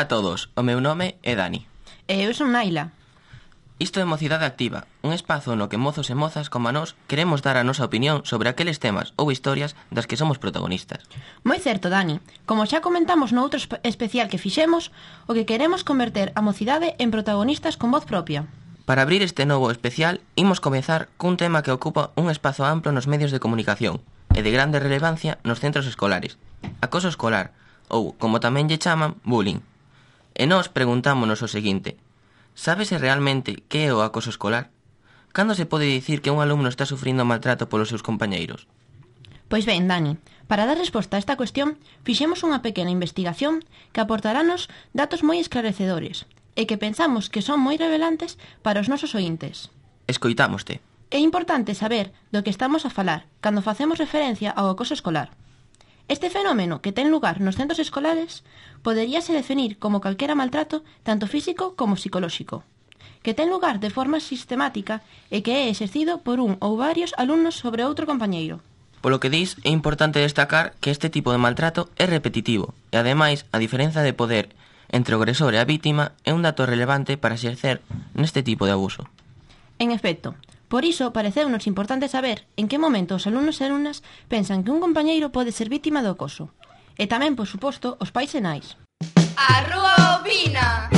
Ola a todos, o meu nome é Dani. E eu son Naila. Isto é Mocidade Activa, un espazo no que mozos e mozas como a nós queremos dar a nosa opinión sobre aqueles temas ou historias das que somos protagonistas. Moi certo, Dani. Como xa comentamos no outro especial que fixemos, o que queremos converter a mocidade en protagonistas con voz propia. Para abrir este novo especial, imos comezar cun tema que ocupa un espazo amplo nos medios de comunicación e de grande relevancia nos centros escolares, acoso escolar, ou, como tamén lle chaman, bullying. E nós preguntámonos o seguinte: sábese realmente que é o acoso escolar? Cando se pode dicir que un alumno está sufrindo maltrato polos seus compañeiros? Pois ben, Dani, para dar resposta a esta cuestión, fixemos unha pequena investigación que aportarános datos moi esclarecedores e que pensamos que son moi revelantes para os nosos oíntes. Escoitámoste. É importante saber do que estamos a falar cando facemos referencia ao acoso escolar. Este fenómeno que ten lugar nos centros escolares poderíase definir como calquera maltrato tanto físico como psicolóxico, que ten lugar de forma sistemática e que é exercido por un ou varios alumnos sobre outro compañeiro. Polo que dis, é importante destacar que este tipo de maltrato é repetitivo e, ademais, a diferenza de poder entre o agresor e a vítima é un dato relevante para exercer neste tipo de abuso. En efecto, por iso pareceunos importante saber en que momento os alumnos e alumnas pensan que un compañeiro pode ser vítima do acoso. E tamén, por suposto, os pais e nais. A Rúa opina!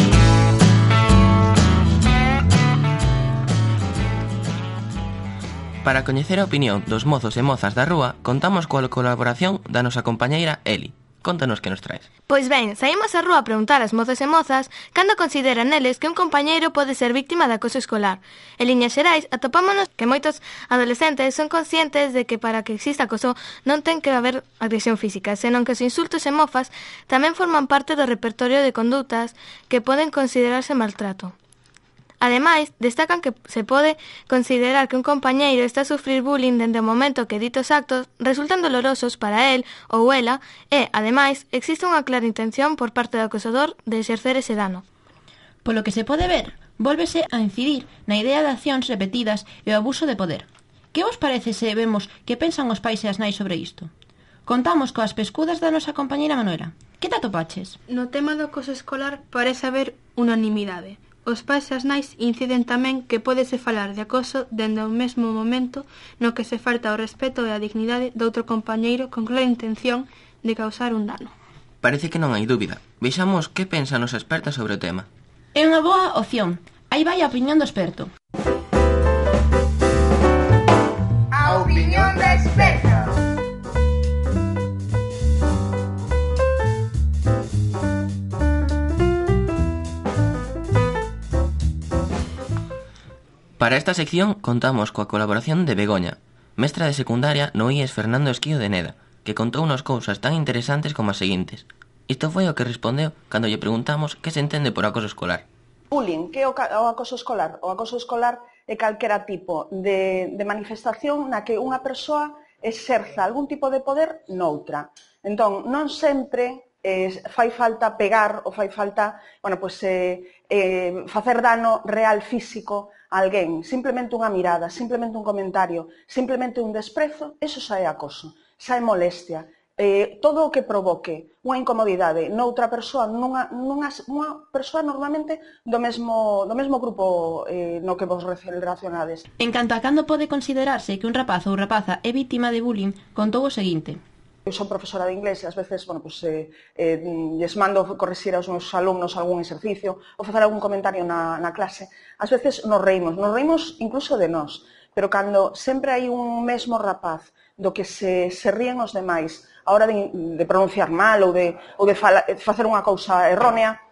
Para coñecer a opinión dos mozos e mozas da rúa, contamos coa colaboración da nosa compañeira Eli. Contanos que nos traes. Pois ben, saímos á rúa a preguntar ás mozas e mozas cando consideran eles que un compañeiro pode ser víctima de acoso escolar. En liñas xerais, atopámonos que moitos adolescentes son conscientes de que para que exista acoso non ten que haber agresión física, senón que os insultos e mofas tamén forman parte do repertorio de condutas que poden considerarse maltrato. Ademais, destacan que se pode considerar que un compañeiro está a sufrir bullying dende o momento que ditos actos resultan dolorosos para él ou ela e, ademais, existe unha clara intención por parte do acosador de exercer ese dano. Polo que se pode ver, vólvese a incidir na idea de accións repetidas e o abuso de poder. Que vos parece se vemos que pensan os pais e as nais sobre isto? Contamos coas pescudas da nosa compañeira Manuela. Que te atopaches? No tema do acoso escolar parece haber unanimidade. Os pais e as nais inciden tamén que pódese falar de acoso dende o mesmo momento no que se falta o respeto e a dignidade do outro compañeiro con clara intención de causar un dano. Parece que non hai dúbida. Vexamos que pensa a nosa experta sobre o tema. É unha boa opción. Aí vai a opinión do experto. A opinión da experta. Para esta sección contamos coa colaboración de Begoña, mestra de secundaria no IES Fernando Esquío de Neda, que contou unas cousas tan interesantes como as seguintes. Isto foi o que respondeu cando lle preguntamos que se entende por acoso escolar. Bullying, que é o acoso escolar? O acoso escolar é calquera tipo de manifestación na que unha persoa exerza algún tipo de poder noutra. Entón, non sempre fai falta pegar ou fai falta facer dano real físico a alguén. Simplemente unha mirada, simplemente un comentario, simplemente un desprezo, eso xa é acoso, xa é molestia. Todo o que provoque unha incomodidade noutra persoa, nunha persoa normalmente do mesmo grupo no que vos relacionades. En canto a cando pode considerarse que un rapaz ou rapaza é vítima de bullying, contou o seguinte: Eu son profesora de inglés e ás veces, lles mando corrixir aos meus alumnos algún exercicio ou facer algún comentario na clase. Ás veces nos reímos incluso de nós, pero cando sempre hai un mesmo rapaz do que se ríen os demais a hora de pronunciar mal ou de facer unha cousa errónea,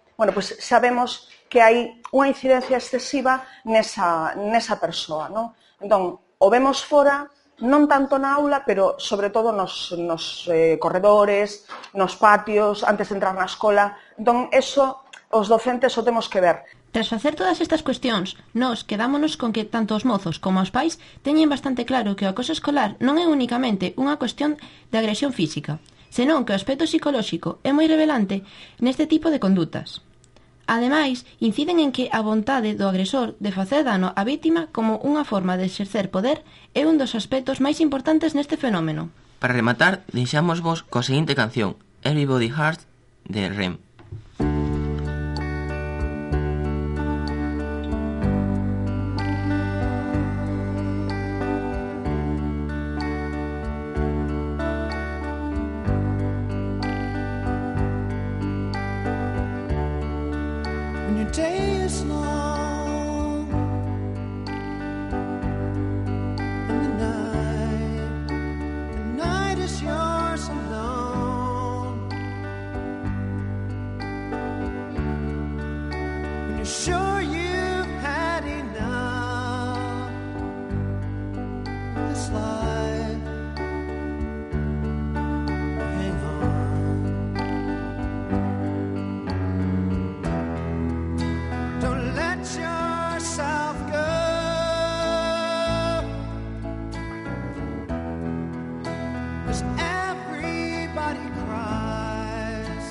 sabemos que hai unha incidencia excesiva nesa persoa, non? Entón, o vemos fora, non tanto na aula, pero sobre todo nos corredores, nos patios, antes de entrar na escola. Entón, eso, os docentes o temos que ver. Tras facer todas estas cuestións, nós quedámonos con que tanto os mozos como os pais teñen bastante claro que o acoso escolar non é únicamente unha cuestión de agresión física, senón que o aspecto psicolóxico é moi revelante neste tipo de condutas. Ademais, inciden en que a vontade do agresor de facer dano á vítima como unha forma de exercer poder é un dos aspectos máis importantes neste fenómeno. Para rematar, deixámosvos coa seguinte canción, Everybody Hurts, de REM. your day is long and the night is yours alone. When you're sure you've had enough of this life, hang on. Don't let yourself go. 'Cause everybody cries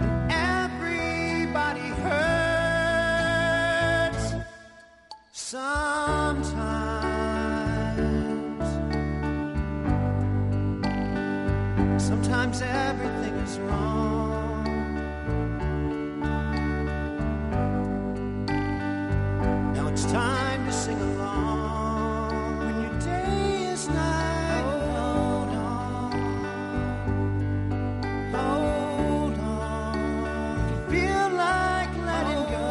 and everybody hurts sometimes. Sometimes everything is wrong. Now it's time to sing along. When your day is night, hold on, hold on. If you feel like letting go,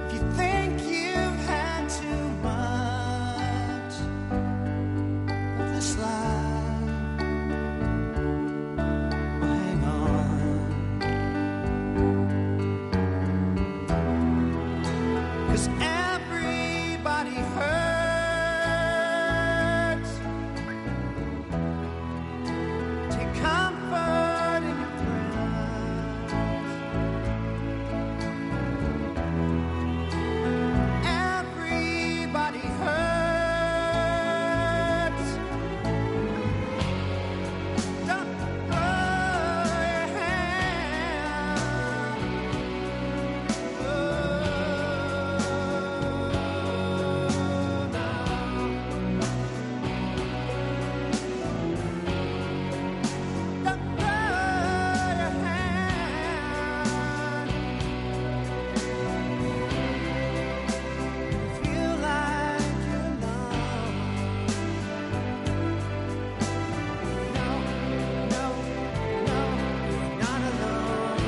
if you think you've had too much of this life, well, hang on. 'Cause everybody hurts. Take comfort in your friends. Everybody hurts. Don't throw your hand. Don't throw your hand. Feel like you're alone. No, no, no, you're not alone.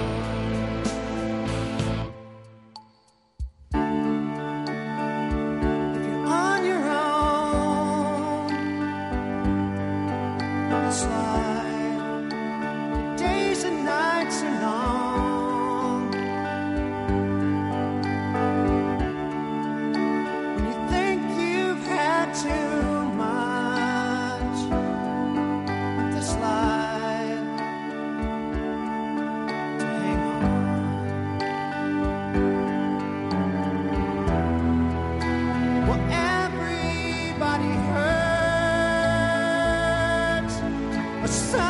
If you're on your own, it's like days and nights are long. When you think you've had too much of this life, to hang on. Well, everybody hurts, but some